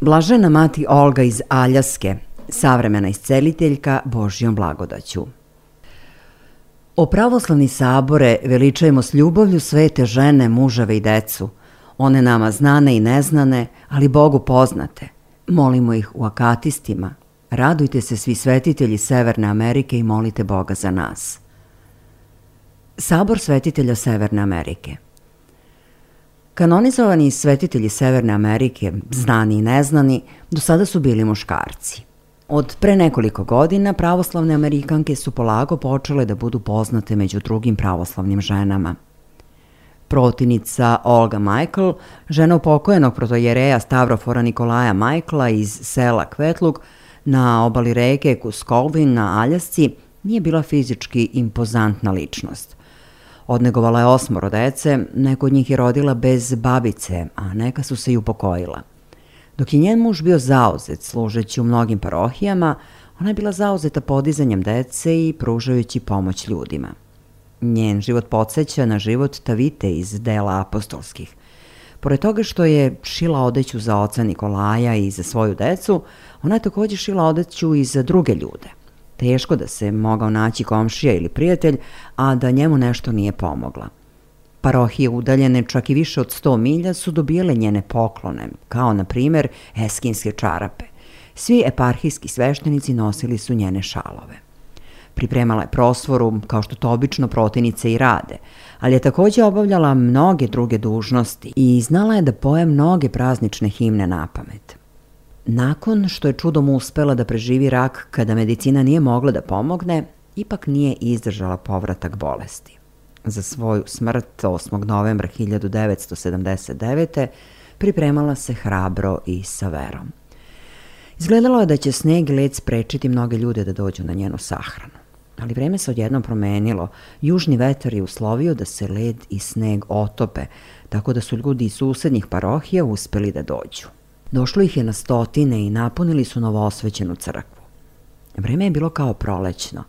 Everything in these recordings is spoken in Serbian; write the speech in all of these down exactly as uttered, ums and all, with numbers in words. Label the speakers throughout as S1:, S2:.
S1: Blažena mati Olga iz Aljaske, savremena isceliteljka Božjom blagodaću. O pravoslavni sabore veličajmo s ljubavlju svete žene, muževe i decu, one nama znane i neznane, ali Bogu poznate. Molimo ih u akatistima. Radujte se svi svetitelji Severne Amerike i molite Boga za nas. Sabor svetitelja Severne Amerike. Kanonizovani svetitelji Severne Amerike, znani i neznani, do sada su bili muškarci. Od pre nekoliko godina pravoslavne Amerikanke su polako počele da budu poznate među drugim pravoslavnim ženama. Protivnica Olga Michael, žena upokojenog protojereja Stavrofora Nikolaja Michaela iz sela Kvetluk na obali reke Kuskolvin na Aljasci, nije bila fizički impozantna ličnost. Odnegovala je osmoro dece, neko od njih je rodila bez babice, a neka su se i upokojila. Dok je njen muž bio zauzet služeći u mnogim parohijama, ona je bila zauzeta podizanjem dece i pružajući pomoć ljudima. Njen život podsjeća na život Tavite iz dela apostolskih. Pored toga što je šila odeću za oca Nikolaja i za svoju decu, ona je također šila odeću i za druge ljude. Teško da se mogao naći komšija ili prijatelj, a da njemu nešto nije pomogla. Parohije udaljene čak i više od sto milja su dobijale njene poklone, kao na primjer eskinske čarape. Svi eparhijski sveštenici nosili su njene šalove. Pripremala je prosvoru, kao što to obično protivnice i rade, ali je također obavljala mnoge druge dužnosti i znala je da poje mnoge praznične himne napamet. Nakon što je čudom uspela da preživi rak kada medicina nije mogla da pomogne, ipak nije izdržala povratak bolesti. Za svoju smrt osmog novembra hiljadu devetsto sedamdeset devete. pripremala se hrabro i sa verom. Izgledalo je da će sneg i led sprečiti mnoge ljude da dođu na njenu sahranu. Ali vreme se odjednom promenilo. Južni vetar je uslovio da se led i sneg otope, tako da su ljudi iz susednih parohija uspeli da dođu. Došlo ih je na stotine i napunili su novoosvećenu crkvu. Vreme je bilo kao prolećno.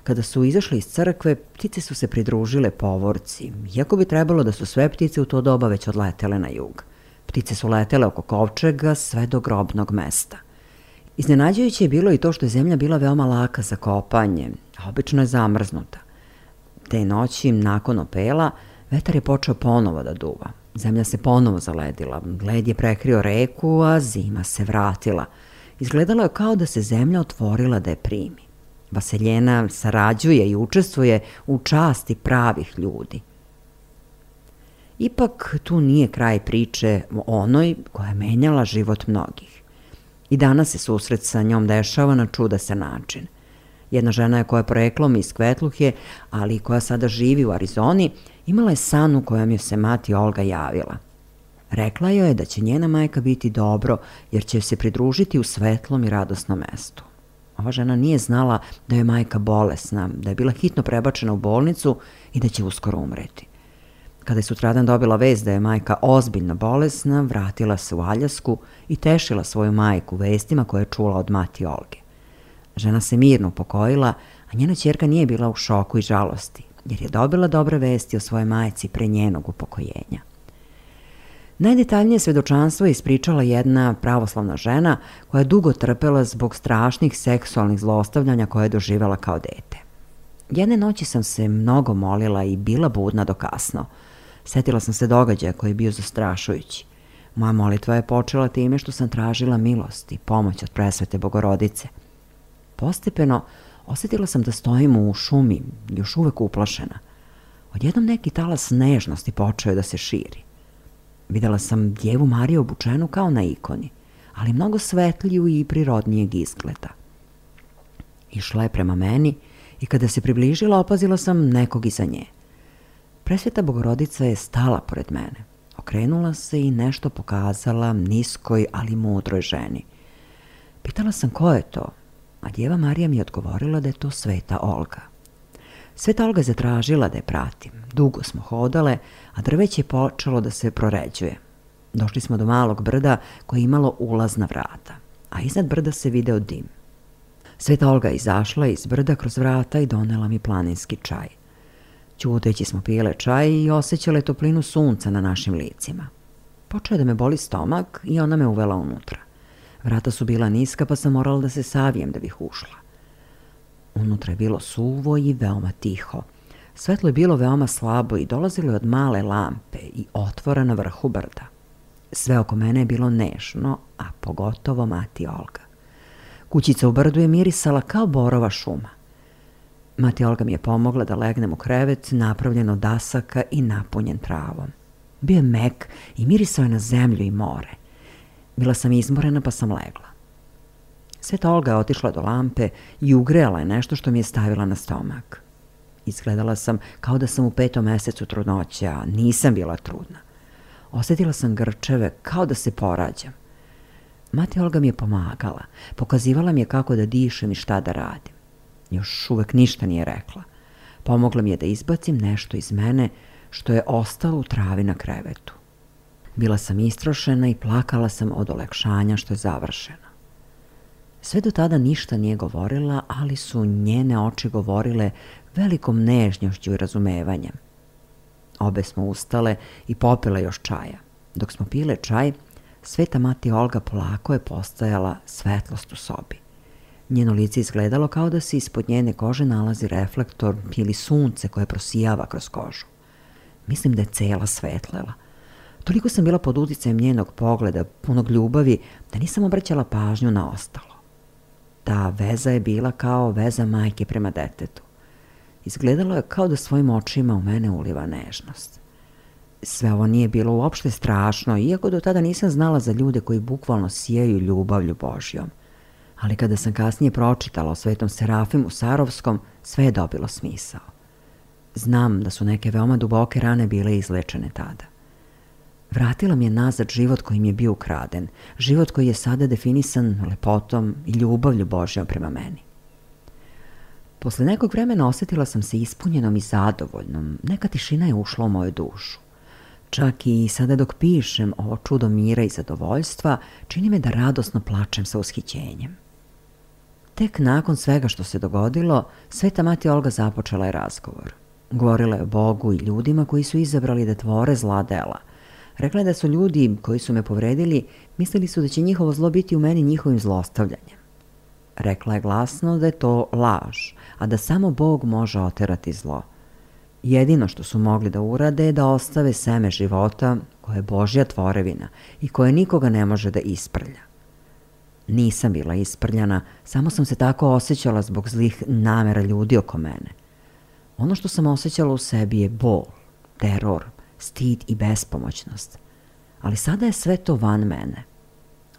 S1: Kada su izašli iz crkve, ptice su se pridružile povorci, iako bi trebalo da su sve ptice u to doba već odletele na jug. Ptice su letele oko kovčega sve do grobnog mesta. Iznenađujuće je bilo i to što je zemlja bila veoma laka za kopanje, a obično je zamrznuta. Te noći, nakon opela, vetar je počeo ponovo da duva. Zemlja se ponovo zaledila, led je prekrio reku, a zima se vratila. Izgledalo je kao da se zemlja otvorila da je primi. Vaseljena sarađuje i učestvuje u časti pravih ljudi. Ipak tu nije kraj priče o onoj koja je menjala život mnogih. I danas se susret sa njom dešava na čudasan način. Jedna žena je koja je poreklom iz Kvetluhe, ali koja sada živi u Arizoni, imala je san u kojem joj se mati Olga javila. Rekla joj je da će njena majka biti dobro, jer će se pridružiti u svetlom i radosnom mestu. Ova žena nije znala da je majka bolesna, da je bila hitno prebačena u bolnicu i da će uskoro umreti. Kada je sutradan dobila vest da je majka ozbiljno bolesna, vratila se u Aljasku i tešila svoju majku vestima koje je čula od mati Olge. Žena se mirno upokojila, a njena ćerka nije bila u šoku i žalosti, jer je dobila dobre vesti o svojoj majci pre njenog upokojenja. Najdetaljnije svedočanstvo je ispričala jedna pravoslavna žena koja je dugo trpela zbog strašnih seksualnih zlostavljanja koje je doživjela kao dete. Jedne noći sam se mnogo molila i bila budna do kasno. Sjetila sam se događaja koji je bio zastrašujući. Moja molitva je počela time što sam tražila milost i pomoć od presvete Bogorodice. Postepeno osjetila sam da stojim u šumi, još uvek uplašena. Odjednom neki talas nežnosti počeo je da se širi. Videla sam Djevu Mariju obučenu kao na ikoni, ali mnogo svetliju i prirodnijeg izgleda. Išla je prema meni i kada se približila opazila sam nekog iza nje. Presveta Bogorodica je stala pored mene. Okrenula se i nešto pokazala niskoj, ali mudroj ženi. Pitala sam ko je to, a Djeva Marija mi je odgovorila da je to Sveta Olga. Sveta Olga je zatražila da je pratim. Dugo smo hodale, a drveće je počelo da se proređuje. Došli smo do malog brda koje je imalo ulazna vrata, a iznad brda se video dim. Sveta Olga je izašla iz brda kroz vrata i donela mi planinski čaj. Ćuteći smo pile čaj i osjećale toplinu sunca na našim licima. Počeo je da me boli stomak i ona me uvela unutra. Vrata su bila niska pa sam morala da se savijem da bih ušla. Unutra je bilo suvo i veoma tiho. Svetlo je bilo veoma slabo i dolazilo je od male lampe i otvora na vrhu brda. Sve oko mene je bilo nežno, a pogotovo mati Olga. Kućica u brdu je mirisala kao borova šuma. Mati Olga mi je pomogla da legnem u krevet napravljen od dasaka i napunjen travom. Bio je mek i mirisao je na zemlju i more. Bila sam izmorena pa sam legla. Sveta Olga je otišla do lampe i ugrela je nešto što mi je stavila na stomak. Izgledala sam kao da sam u petom mesecu trudnoće, a nisam bila trudna. Osjetila sam grčeve kao da se porađam. Mati Olga mi je pomagala, pokazivala mi je kako da dišem i šta da radim. Još uvek ništa nije rekla. Pomogla mi je da izbacim nešto iz mene što je ostalo u travi na krevetu. Bila sam istrošena i plakala sam od olekšanja što je završeno. Sve do tada ništa nije govorila, ali su njene oči govorile velikom nežnjošću i razumevanjem. Obe smo ustale i popile još čaja. Dok smo pile čaj, sveta mati Olga polako je postajala svetlost u sobi. Njeno lice izgledalo kao da se ispod njene kože nalazi reflektor ili sunce koje prosijava kroz kožu. Mislim da je cela svetlela. Toliko sam bila pod uticajem njenog pogleda, punog ljubavi, da nisam obraćala pažnju na ostalo. Ta veza je bila kao veza majke prema detetu. Izgledalo je kao da svojim očima u mene uliva nežnost. Sve ovo nije bilo uopšte strašno, iako do tada nisam znala za ljude koji bukvalno sijaju ljubavlju Božjom. Ali kada sam kasnije pročitala o svetom Serafimu Sarovskom, sve je dobilo smisao. Znam da su neke veoma duboke rane bile izlečene tada. Vratila mi je nazad život koji mi je bio ukraden, život koji je sada definisan lepotom i ljubavlju Božjom prema meni. Posle nekog vremena osjetila sam se ispunjenom i zadovoljnom, neka tišina je ušla u moju dušu. Čak i sada dok pišem ovo čudo mira i zadovoljstva, čini me da radosno plačem sa ushićenjem. Tek nakon svega što se dogodilo, sveta mati Olga započela je razgovor. Govorila je o Bogu i ljudima koji su izabrali da tvore zla dela. Rekla je da su ljudi koji su me povredili, mislili su da će njihovo zlo biti u meni njihovim zlostavljanjem. Rekla je glasno da je to laž, a da samo Bog može oterati zlo. Jedino što su mogli da urade je da ostave seme života koje je Božja tvorevina i koje nikoga ne može da isprlja. Nisam bila isprljana, samo sam se tako osjećala zbog zlih namera ljudi oko mene. Ono što sam osjećala u sebi je bol, teror, stid i bespomoćnost. Ali sada je sve to van mene.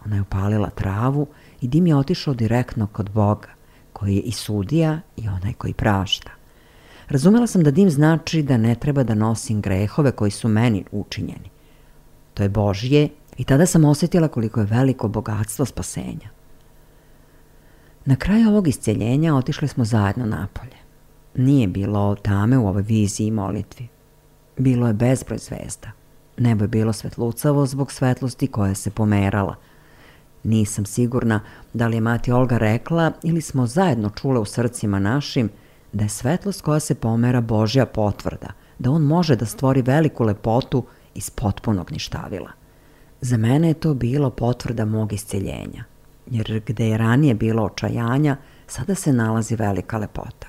S1: Ona je upalila travu i dim je otišao direktno kod Boga, koji je i sudija i onaj koji prašta. Razumela sam da dim znači da ne treba da nosim grehove koji su meni učinjeni. To je Božje i tada sam osjetila koliko je veliko bogatstvo spasenja. Na kraju ovog isceljenja otišli smo zajedno napolje. Nije bilo tame u ovoj viziji i molitvi. Bilo je bezbroj zvezda. Nebo je bilo svetlucavo zbog svetlosti koja se pomerala. Nisam sigurna da li je mati Olga rekla ili smo zajedno čule u srcima našim da je svetlost koja se pomera Božja potvrda, da on može da stvori veliku lepotu iz potpunog ništavila. Za mene je to bilo potvrda mog isceljenja, jer gde je ranije bilo očajanja, sada se nalazi velika lepota.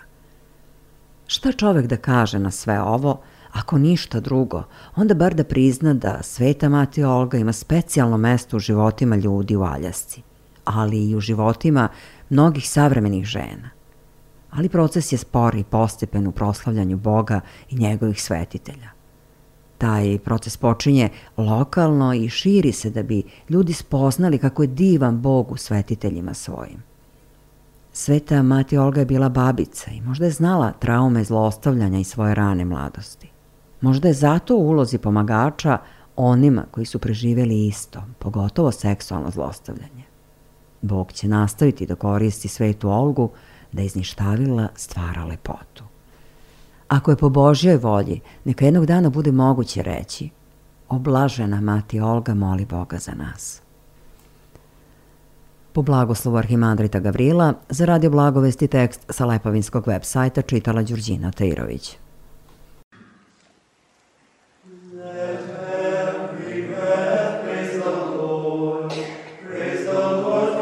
S1: Šta čovek da kaže na sve ovo, ako ništa drugo, onda bar da prizna da sveta mati Olga ima specijalno mesto u životima ljudi u Aljasci, ali i u životima mnogih savremenih žena. Ali proces je spor i postepen u proslavljanju Boga i njegovih svetitelja. Taj proces počinje lokalno i širi se da bi ljudi spoznali kako je divan Bog u svetiteljima svojim. Sveta mati Olga je bila babica i možda je znala traume zlostavljanja i svoje rane mladosti. Možda je zato u ulozi pomagača onima koji su preživjeli isto, pogotovo seksualno zlostavljanje. Bog će nastaviti da koristi svetu Olgu da iz ništavila stvara lepotu. Ako je po Božjoj volji, neka jednog dana bude moguće reći: oblažena mati Olga moli Boga za nas. Po blagoslovu arhimandrita Gavrila, za Radio Blagovesti tekst sa Lepovinskog web sajta čitala Đurđina Tairović.
S2: Let every breath praise the Lord, praise the Lord.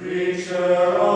S2: Preacher